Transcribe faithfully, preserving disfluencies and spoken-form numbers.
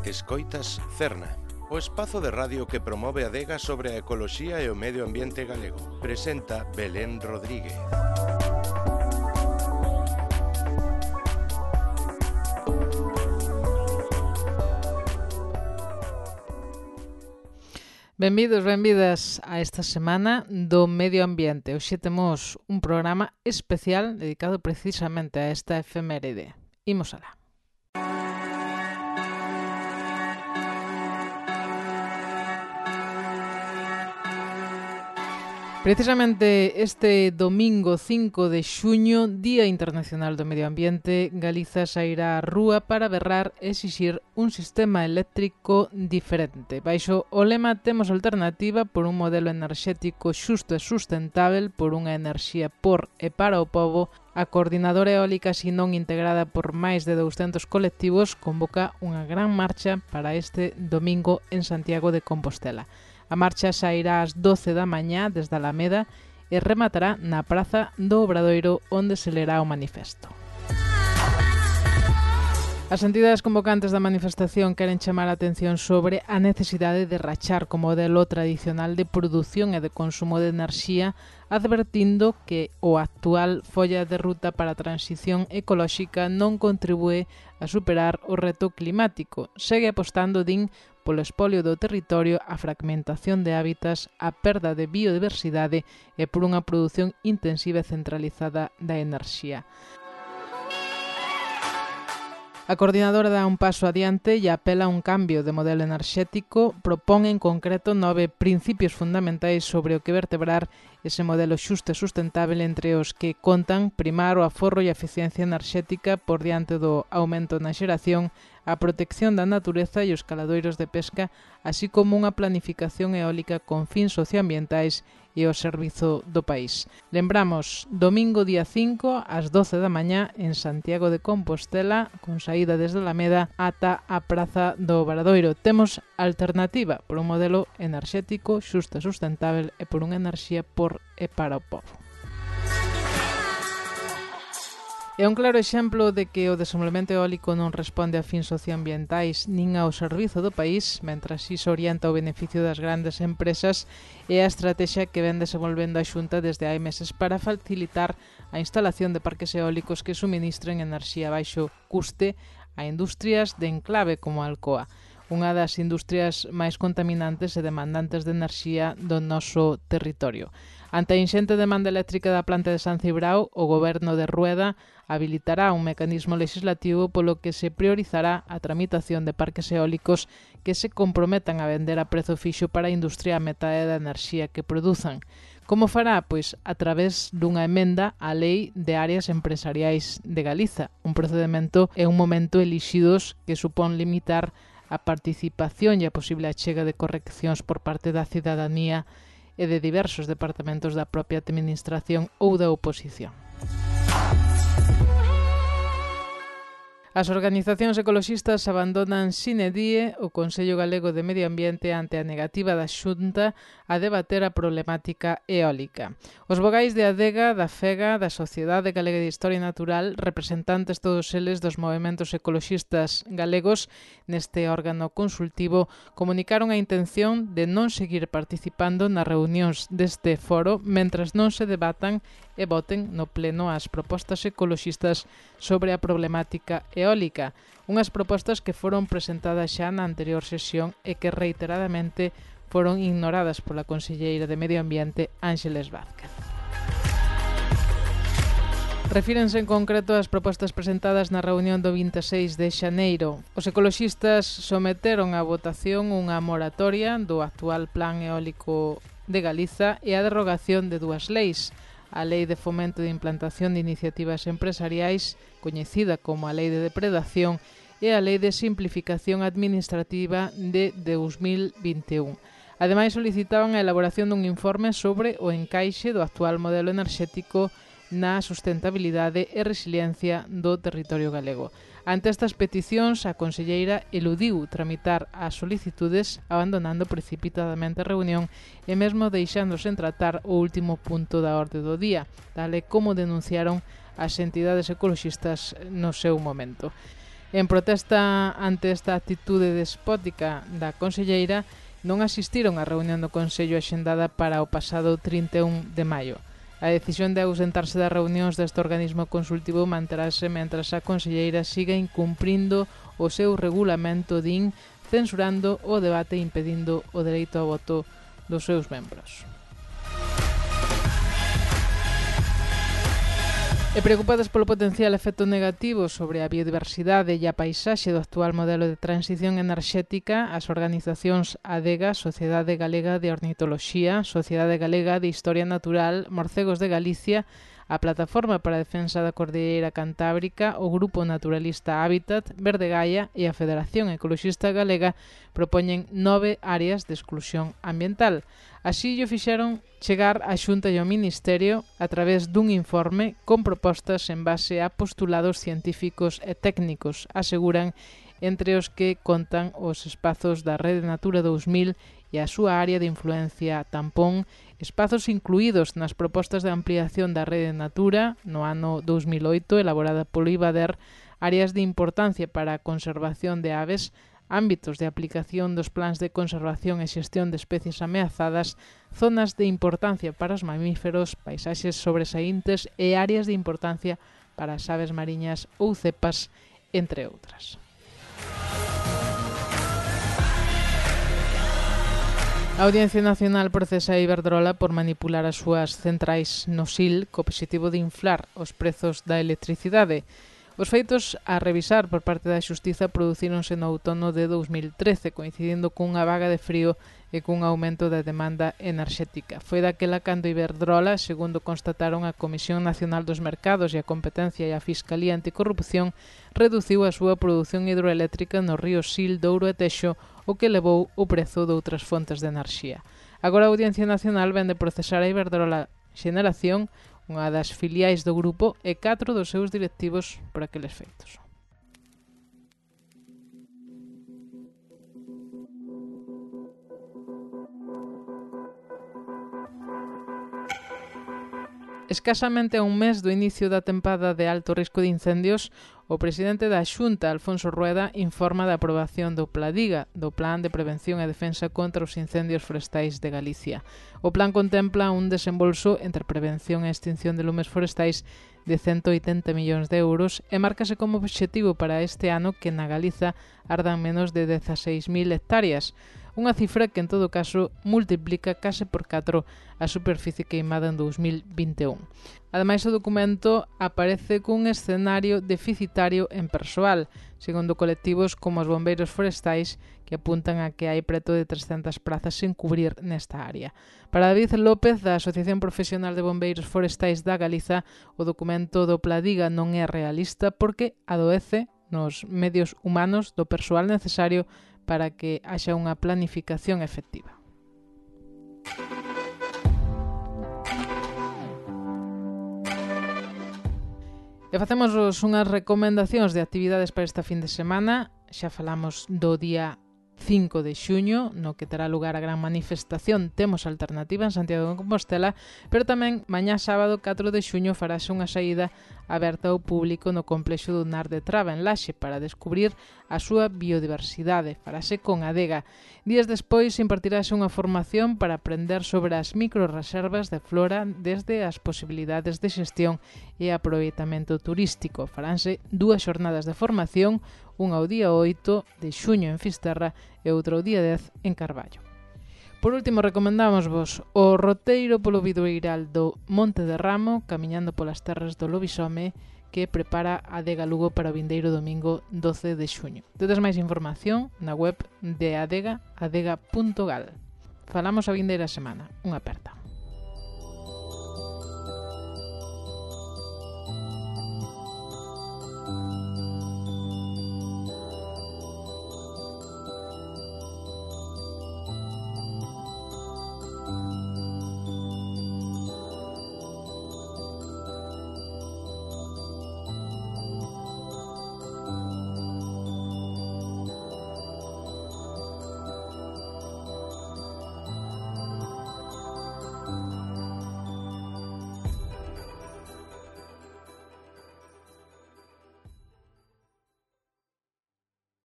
Escoitas Cerna, o espazo de radio que promove a adega sobre a ecoloxía e o medio ambiente galego. Presenta Belén Rodríguez. Benvidos, benvidas a esta semana do medio ambiente. Hoxe temos un programa especial dedicado precisamente a esta efeméride. Imos alá. Precisamente este domingo cinco de xuño, Día Internacional do Medio Ambiente, Galiza sairá á rúa para berrar e exixir un sistema eléctrico diferente. Baixo o lema Temos alternativa por un modelo enerxético xusto e sustentável, por unha enerxía por e para o pobo, a Coordinadora Eólica Sinón, integrada por máis de douscentos colectivos, convoca unha gran marcha para este domingo en Santiago de Compostela. A marcha sairá ás doce da mañá desde a Alameda e rematará na Praza do Obradoiro, onde se lerá o manifesto. As entidades convocantes da manifestación queren chamar a atención sobre a necesidade de rachar co modelo tradicional de produción e de consumo de enerxía, advertindo que o actual folla de ruta para a transición ecolóxica non contribúe a superar o reto climático. Segue apostando, din, polo espolio do territorio, a fragmentación de hábitats, a perda de biodiversidade e por unha produción intensiva e centralizada da enerxía. A coordinadora dá un paso adiante e apela a un cambio de modelo enerxético, propón en concreto nove principios fundamentais sobre o que vertebrar ese modelo xusto e sustentável, entre os que contan primar o aforro e a eficiencia enerxética por diante do aumento na xeración, a protección da natureza e os caladoiros de pesca, así como unha planificación eólica con fins socioambientais e o servizo do país. Lembramos, domingo día cinco, ás doce da mañá, en Santiago de Compostela, con saída desde Alameda ata a Praza do Obradoiro. Temos alternativa por un modelo enerxético xusto e sustentável e por unha enerxía por e para o povo. É un claro exemplo de que o desenvolvemento eólico non responde a fins socioambientais nin ao servizo do país, mentras si se orienta ao beneficio das grandes empresas, e a estrategia que ven desenvolvendo a Xunta desde hai meses para facilitar a instalación de parques eólicos que suministren enerxía a baixo custe a industrias de enclave como a Alcoa, unha das industrias máis contaminantes e demandantes de enerxía do noso territorio. Ante a inxente demanda eléctrica da planta de San Cibrao, o Goberno de Rueda habilitará un mecanismo legislativo polo que se priorizará a tramitación de parques eólicos que se comprometan a vender a prezo fixo para a industria a metade da enerxía que produzan. Como fará? Pois a través dunha emenda á Lei de Áreas Empresariais de Galiza, un procedimento e un momento elixidos que supón limitar a participación e a posible achega de correccións por parte da cidadanía e de diversos departamentos da propia administración ou da oposición. As organizacións ecoloxistas abandonan sine die o Consello Galego de Medio Ambiente ante a negativa da Xunta a debater a problemática eólica. Os vogais de Adega, da FEGA, da Sociedade Galega de Historia Natural, representantes todos eles dos movementos ecoloxistas galegos neste órgano consultivo, comunicaron a intención de non seguir participando nas reunións deste foro mentras non se debatan e voten no pleno as propostas ecoloxistas sobre a problemática eólica, unhas propostas que foron presentadas xa na anterior sesión e que reiteradamente foron ignoradas pola conselleira de Medio Ambiente, Ángeles Vázquez. Refírense en concreto ás propostas presentadas na reunión do vinte e seis de xaneiro. Os ecoloxistas someteron a votación unha moratoria do actual Plan Eólico de Galiza e a derrogación de dúas leis, a Lei de Fomento de Implantación de Iniciativas Empresariais, coñecida como a Lei de Depredación, e a Lei de Simplificación Administrativa de dous mil vinte e un. Ademais, solicitaban a elaboración dun informe sobre o encaixe do actual modelo enerxético na sustentabilidade e resiliencia do territorio galego. Ante estas peticións, a conselleira eludiu tramitar as solicitudes, abandonando precipitadamente a reunión e mesmo deixándose en tratar o último punto da orde do día, tal e como denunciaron as entidades ecoloxistas no seu momento. En protesta ante esta actitude despótica da conselleira, non asistiron á reunión do Consello axendada para o pasado trinta e un de maio. A decisión de ausentarse das reunións deste organismo consultivo manterase mentras a conselleira siga incumprindo o seu regulamento, din, censurando o debate e impedindo o dereito ao voto dos seus membros. E preocupadas polo potencial efecto negativo sobre a biodiversidade e a paisaxe do actual modelo de transición enerxética, as organizacións ADEGA, Sociedade Galega de Ornitoloxía, Sociedade Galega de Historia Natural, Morcegos de Galicia, a Plataforma para a Defensa da Cordilleira Cantábrica, o Grupo Naturalista Hábitat, Verde Gaia e a Federación Ecoloxista Galega propoñen nove áreas de exclusión ambiental. Así lle fixeron chegar a Xunta e ao Ministerio a través dun informe con propostas en base a postulados científicos e técnicos, aseguran, entre os que contan os espazos da Rede Natura dous mil e a súa área de influencia tampón, espazos incluídos nas propostas de ampliación da Rede Natura no ano dous mil oito, elaborada polo IBADER, áreas de importancia para a conservación de aves, ámbitos de aplicación dos plans de conservación e xestión de especies ameazadas, zonas de importancia para os mamíferos, paisaxes sobresaíntes e áreas de importancia para as aves mariñas ou cepas, entre outras. A Audiencia Nacional procesa a Iberdrola por manipular as súas centrais no S I L co obxectivo de inflar os prezos da electricidade. Os feitos a revisar por parte da Xustiza producíronse no outono de dous mil trece, coincidindo cunha vaga de frío e cun aumento da demanda enerxética. Foi daquela cando Iberdrola, segundo constataron a Comisión Nacional dos Mercados e a Competencia e a Fiscalía Anticorrupción, reduciu a súa produción hidroeléctrica nos ríos Sil, Douro e Texo, o que levou o prezo de outras fontes de enerxía. Agora a Audiencia Nacional vende procesar a Iberdrola Xeneración, unha das filiais do grupo, e catro dos seus directivos por aqueles feitos. Escasamente a un mes do inicio da tempada de alto risco de incendios, o presidente da Xunta, Alfonso Rueda, informa da aprobación do PLADIGA, do Plan de Prevención e Defensa contra os Incendios Forestais de Galicia. O plan contempla un desembolso entre prevención e extinción de lumes forestais de cento oitenta millóns de euros e márcase como obxectivo para este ano que na Galiza ardan menos de dezaseis mil hectáreas, unha cifra que en todo caso multiplica case por catro a superficie queimada en dous mil vinte e un. Ademais, o documento aparece cun escenario deficitario en persoal, segundo colectivos como os bombeiros forestais, que apuntan a que hai preto de trescentas prazas sen cubrir nesta área. Para David López, da Asociación Profesional de Bombeiros Forestais da Galiza, o documento do PLADIGA non é realista porque adoece nos medios humanos do persoal necesario para que haxa unha planificación efectiva. E facemos unhas recomendacións de actividades para esta fin de semana. Xa falamos do día cinco de xuño, no que terá lugar a gran manifestación Temos Alternativa en Santiago de Compostela, pero tamén mañá sábado catro de xuño farase unha saída aberta ao público no complexo do Nar de Traba en Laxe para descubrir a súa biodiversidade. Farase con Adega. Días despois impartirase unha formación para aprender sobre as microreservas de flora desde as posibilidades de xestión e aproveitamento turístico. Faránse dúas xornadas de formación, unha ao día oito de xuño en Fisterra e outra ao día dez en Carballo. Por último, recomendámosvos o roteiro polo Bidueiral do Monte de Ramo, camiñando polas terras do Lobisome, que prepara Adega Lugo para o vindeiro domingo doce de xuño. Tedes máis información na web de Adega, adega punto gal. Falamos a vindeira semana. Unha aperta.